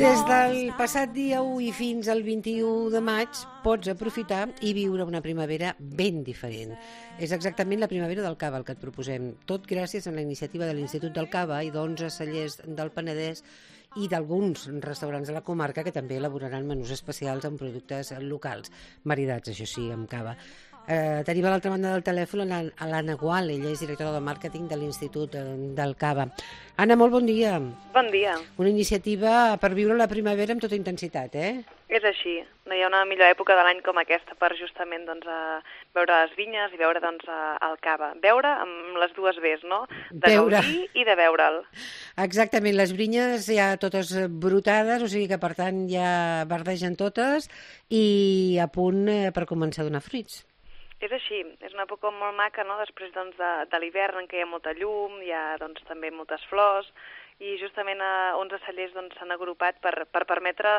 Des del passat dia 1 i fins al 21 de maig pots aprofitar i viure una primavera ben diferent. És exactament la primavera del cava el que et proposem, tot gràcies a la iniciativa de l'Institut del Cava i d'11 cellers del Penedès i d'alguns restaurants de la comarca que també elaboraran menús especials amb productes locals, maridats, això sí, amb cava. Tenim a l'altra banda del telèfon a l'Anna Gual, ella és directora de màrqueting de l'Institut del Cava. Anna, molt bon dia. Bon dia. Una iniciativa per viure la primavera amb tota intensitat, És així. No hi ha una millor època de l'any com aquesta per justament veure les vinyes i veure el cava. Veure amb les dues Bs, no? De gaudir i de veure'l. Exactament, les vinyes ja totes brotades, o sigui que per tant ja verdegen totes i a punt per començar a donar fruits. És així, és una època molt maca, no? Després de l'hivern en què hi ha molta llum, hi ha també moltes flors, i justament 11 cellers s'han agrupat per permetre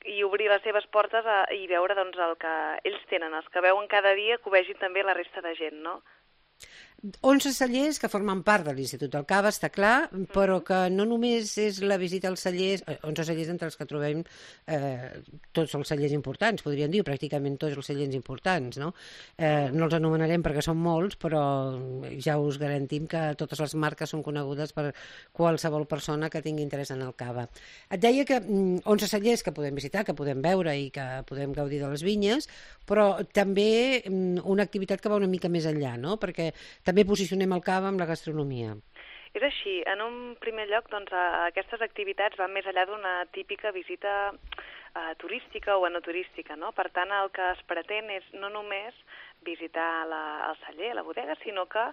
i obrir les seves portes i veure el que ells tenen, els que veuen cada dia, que ho vegin també la resta de gent, no? 11 cellers que formen part de l'Institut del Cava, està clar, però que no només és la visita als cellers, 11 cellers entre els que trobem tots els cellers importants, podríem dir, pràcticament tots els cellers importants, no? No els anomenarem perquè són molts, però ja us garantim que totes les marques són conegudes per qualsevol persona que tingui interès en el cava. Et deia que 11 cellers que podem visitar, que podem veure i que podem gaudir de les vinyes, però també una activitat que va una mica més enllà, no? Perquè també posicionem el cava amb la gastronomia. És així. En un primer lloc, aquestes activitats van més enllà d'una típica visita turística o enoturística, no? Per tant, el que es pretén és no només visitar el celler, la bodega, sinó que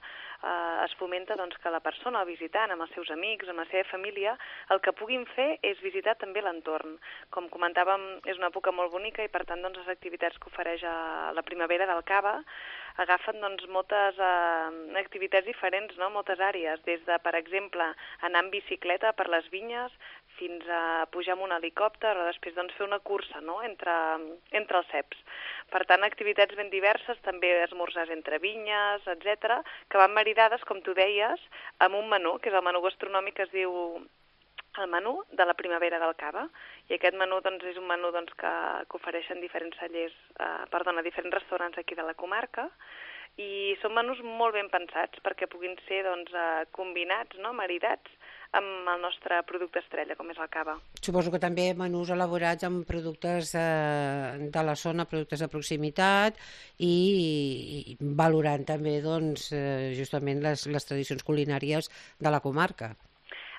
es fomenta que la persona, el visitant, amb els seus amics, amb la seva família, el que puguin fer és visitar també l'entorn. Com comentàvem, és una època molt bonica i, per tant, les activitats que ofereix la primavera del cava agafen moltes activitats diferents, no? Moltes àrees, des de, per exemple, anar en bicicleta per les vinyes fins a pujar amb un helicòpter o després fer una cursa, no? entre els ceps. Per tant, activitats ben diverses, també esmorzars entre vinyes, etc., que van maridades, com tu deies, amb un menú, que és el menú gastronòmic que es diu el menú de la primavera del cava. I aquest menú és un menú que ofereixen diferents cellers, diferents restaurants aquí de la comarca, i són menús molt ben pensats perquè puguin ser combinats, no? Maridats amb el nostre producte estrella, com és el cava. Suposo que també menús elaborats amb productes de la zona, productes de proximitat i valorant també justament les tradicions culinàries de la comarca.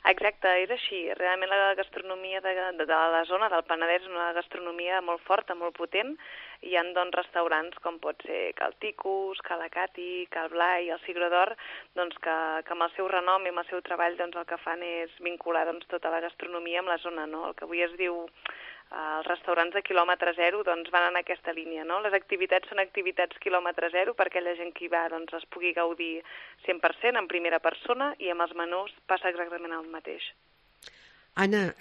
Exacte, és així. Realment la gastronomia de la zona del Penedès és una gastronomia molt forta, molt potent. Hi ha restaurants com pot ser Cal Ticus, Cal Acati, Cal Blai, el Sigre d'Or, que amb el seu renom i amb el seu treball el que fan és vincular tota la gastronomia amb la zona, no? El que avui es diu els restaurants de quilòmetre zero van en aquesta línia, no? Les activitats són activitats quilòmetre zero perquè la gent que hi va es pugui gaudir 100% en primera persona i amb els menús passa exactament el mateix. Anna,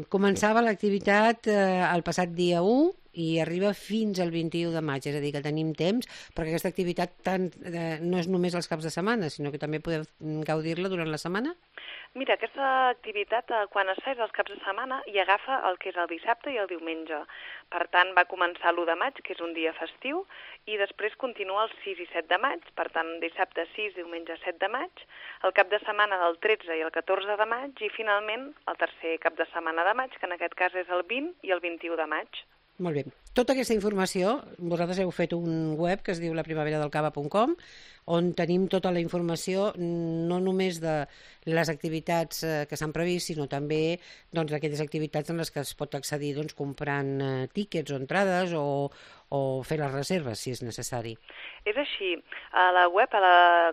començava l'activitat el passat dia 1 i arriba fins al 21 de maig, és a dir, que tenim temps, perquè aquesta activitat no és només els caps de setmana, sinó que també podem gaudir-la durant la setmana? Mira, aquesta activitat, quan es fa és els caps de setmana i agafa el que és el dissabte i el diumenge. Per tant, va començar l'1 de maig, que és un dia festiu, i després continua el 6 i 7 de maig, per tant, dissabte 6, diumenge 7 de maig, el cap de setmana del 13 i el 14 de maig, i finalment el tercer cap de setmana de maig, que en aquest cas és el 20 i el 21 de maig. Molt bé. Tota aquesta informació, vosaltres heu fet un web que es diu laprimaveradelcava.com, on tenim tota la informació, no només de les activitats que s'han previst, sinó també d'aquelles activitats en les que es pot accedir comprant tíquets o entrades o fer les reserves, si és necessari. És així. A la web,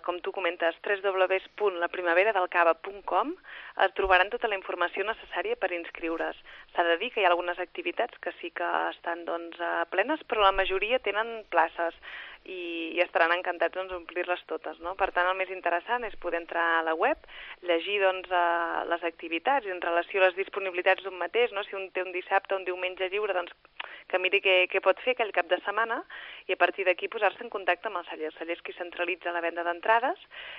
com tu comentes, www.laprimaveradelcava.com, trobaran tota la informació necessària per inscriure's. S'ha de dir que hi ha algunes activitats que sí que estan plenes, però la majoria tenen places. i estaran encantats d'omplir-les totes, no? Per tant, el més interessant és poder entrar a la web, llegir les activitats en relació a les disponibilitats d'un mateix, no? Si un té un dissabte o un diumenge lliure, doncs que miri què pot fer aquell cap de setmana i a partir d'aquí posar-se en contacte amb el celler. El celler és qui centralitza la venda d'entrades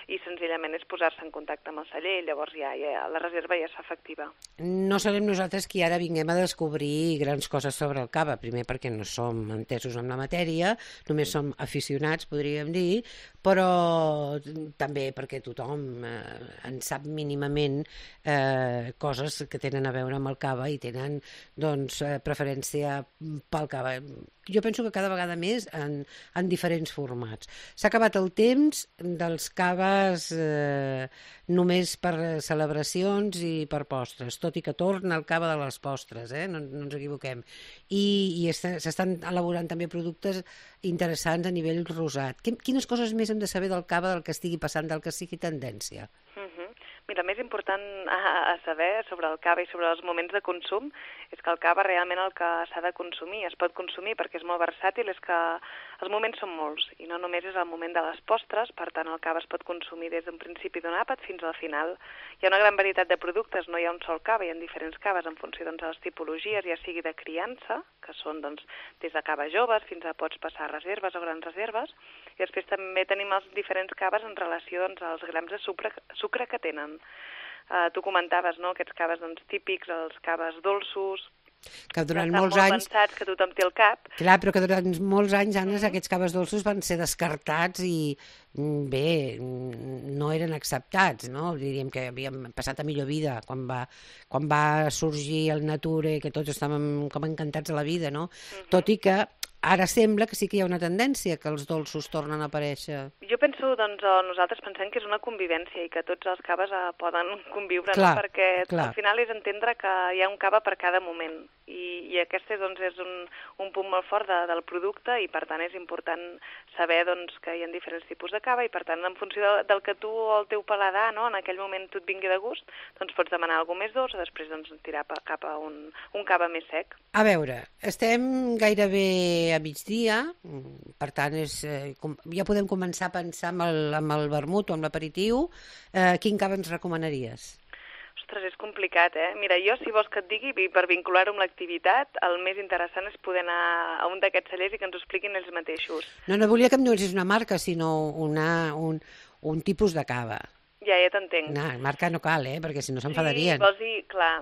i senzillament és posar-se en contacte amb el celler i llavors ja la reserva ja és efectiva. No serem nosaltres qui ara vinguem a descobrir grans coses sobre el cava, primer perquè no som entesos en la matèria, només som aficionats, podríem dir, però també perquè tothom en sap mínimament coses que tenen a veure amb el cava i tenen doncs, preferència pel cava. Jo penso que cada vegada més en diferents formats. S'ha acabat el temps dels caves només per celebracions i per postres, tot i que torna el cava de les postres, no ens equivoquem. I s'estan elaborant també productes interessants a nivell rosat. Quines coses més hem de saber del cava, del que estigui passant, del que sigui tendència? Mira, el més important a saber sobre el cava i sobre els moments de consum és que el cava realment el que s'ha de consumir, es pot consumir perquè és molt versàtil, és que els moments són molts i no només és el moment de les postres, per tant el cava es pot consumir des d'un principi d'un àpat fins al final. Hi ha una gran varietat de productes, no hi ha un sol cava, hi ha diferents caves en funció de les tipologies, ja sigui de criança, que són des de caves joves fins a pots passar a reserves o grans reserves, i després també tenim els diferents caves en relació als grams de sucre que tenen. Tu comentaves, no?, aquests caves típics, els caves dolços, que durant estan molts molt anys pensats, que tothom té al cap. Clar, però que durant molts anys, Anna, aquests caves dolços van ser descartats i, bé, no eren acceptats, no? Diríem que havíem passat a millor vida quan va sorgir el Nature, que tots estàvem com encantats de la vida, no? Tot i que ara sembla que sí que hi ha una tendència que els dolços tornen a aparèixer. Jo penso, nosaltres pensem que és una convivència i que tots els caves poden conviure, clar, no? Perquè clar. Al final és entendre que hi ha un cava per cada moment i aquest és un punt molt fort del producte i per tant és important saber que hi ha diferents tipus de cava i per tant en funció del que tu o el teu paladar, no? En aquell moment tu et vingui de gust, doncs pots demanar alguna més dolç o després tirar cap a un cava més sec. A veure, estem gairebé a migdia, per tant ja podem començar a pensar amb el vermut o amb l'aperitiu. Quin cava ens recomanaries? Ostres, és complicat, Mira, jo, si vols que et digui, per vincular-ho amb l'activitat, el més interessant és poder anar a un d'aquests cellers i que ens ho expliquin ells mateixos. No volia que em donessis una marca, sinó un tipus de cava. Ja t'entenc. No, marca no cal, perquè si no s'enfadarien. Sí, vols dir, clar,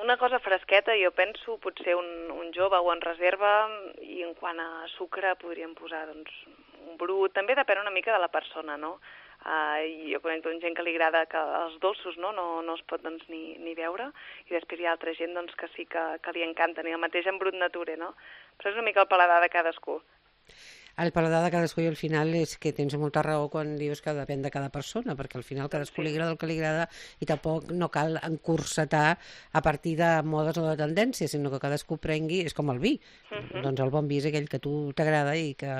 una cosa fresqueta, jo penso, potser un jove o en reserva, i en quant a sucre podríem posar, un brut, també depèn una mica de la persona, no? Jo conec gent que li agrada que els dolços no es pot ni veure i després hi ha altra gent que sí que li encanten i el mateix en brut nature, no? Però és una mica el paladar de cadascú. El paladar de cadascú i al final és que tens molta raó quan dius que depèn de cada persona, perquè al final cadascú li agrada el que li agrada i tampoc no cal encursetar a partir de modes o de tendències, sinó que cadascú prengui, és com el vi. Doncs el bon vi és aquell que a tu t'agrada i que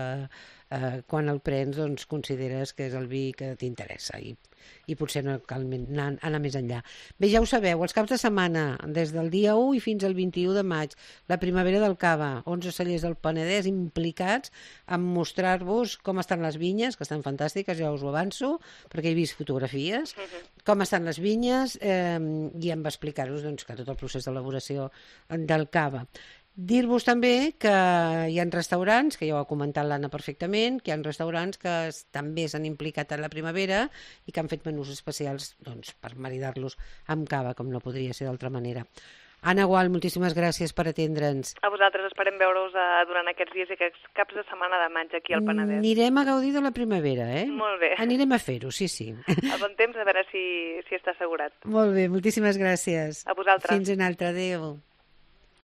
quan el prens consideres que és el vi que t'interessa i potser no cal anar més enllà. Bé, ja ho sabeu, els caps de setmana, des del dia 1 i fins al 21 de maig, la primavera del cava, 11 cellers del Penedès implicats en mostrar-vos com estan les vinyes, que estan fantàstiques, ja us ho avanço, perquè he vist fotografies, com estan les vinyes i en va explicar-vos que tot el procés d'elaboració del cava. Dir-vos també que hi ha restaurants, que ja ho ha comentat l'Anna perfectament, que hi ha restaurants que també s'han implicat en la primavera i que han fet menús especials per maridar-los amb cava, com no podria ser d'altra manera. Anna Gual, moltíssimes gràcies per atendre'ns. A vosaltres, esperem veure-us durant aquests dies i aquests caps de setmana de maig aquí al Penedès. Anirem a gaudir de la primavera, Molt bé. Anirem a fer-ho, sí. A bon temps, a veure si està assegurat. Molt bé, moltíssimes gràcies. A vosaltres. Fins una altra, adéu.